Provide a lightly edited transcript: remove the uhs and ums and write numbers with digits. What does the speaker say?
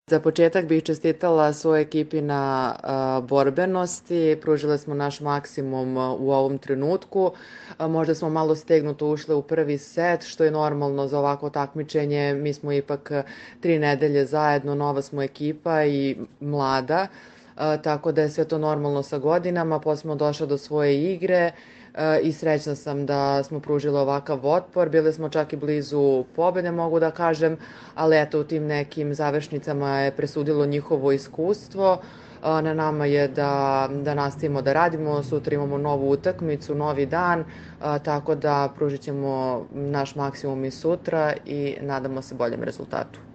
Za početak bih čestitala svojoj ekipi na borbenosti. Pružile smo naš maksimum u ovom trenutku. Možda smo malo stegnuto ušle u prvi set, što je normalno za ovako takmičenje. Mi smo ipak 3 nedelje zajedno, nova smo ekipa i mlada, tako da je sve to normalno sa godinama. Posle smo došle do svoje igre i srećna sam da smo pružili ovakav otpor. Bile smo čak i blizu pobede, mogu da kažem, ali eto, u tim nekim završnicama je presudilo njihovo iskustvo. Na nama je da nastavimo da radimo. Sutra imamo novu utakmicu, novi dan, tako da pružit ćemo naš maksimum i sutra i nadamo se boljem rezultatu.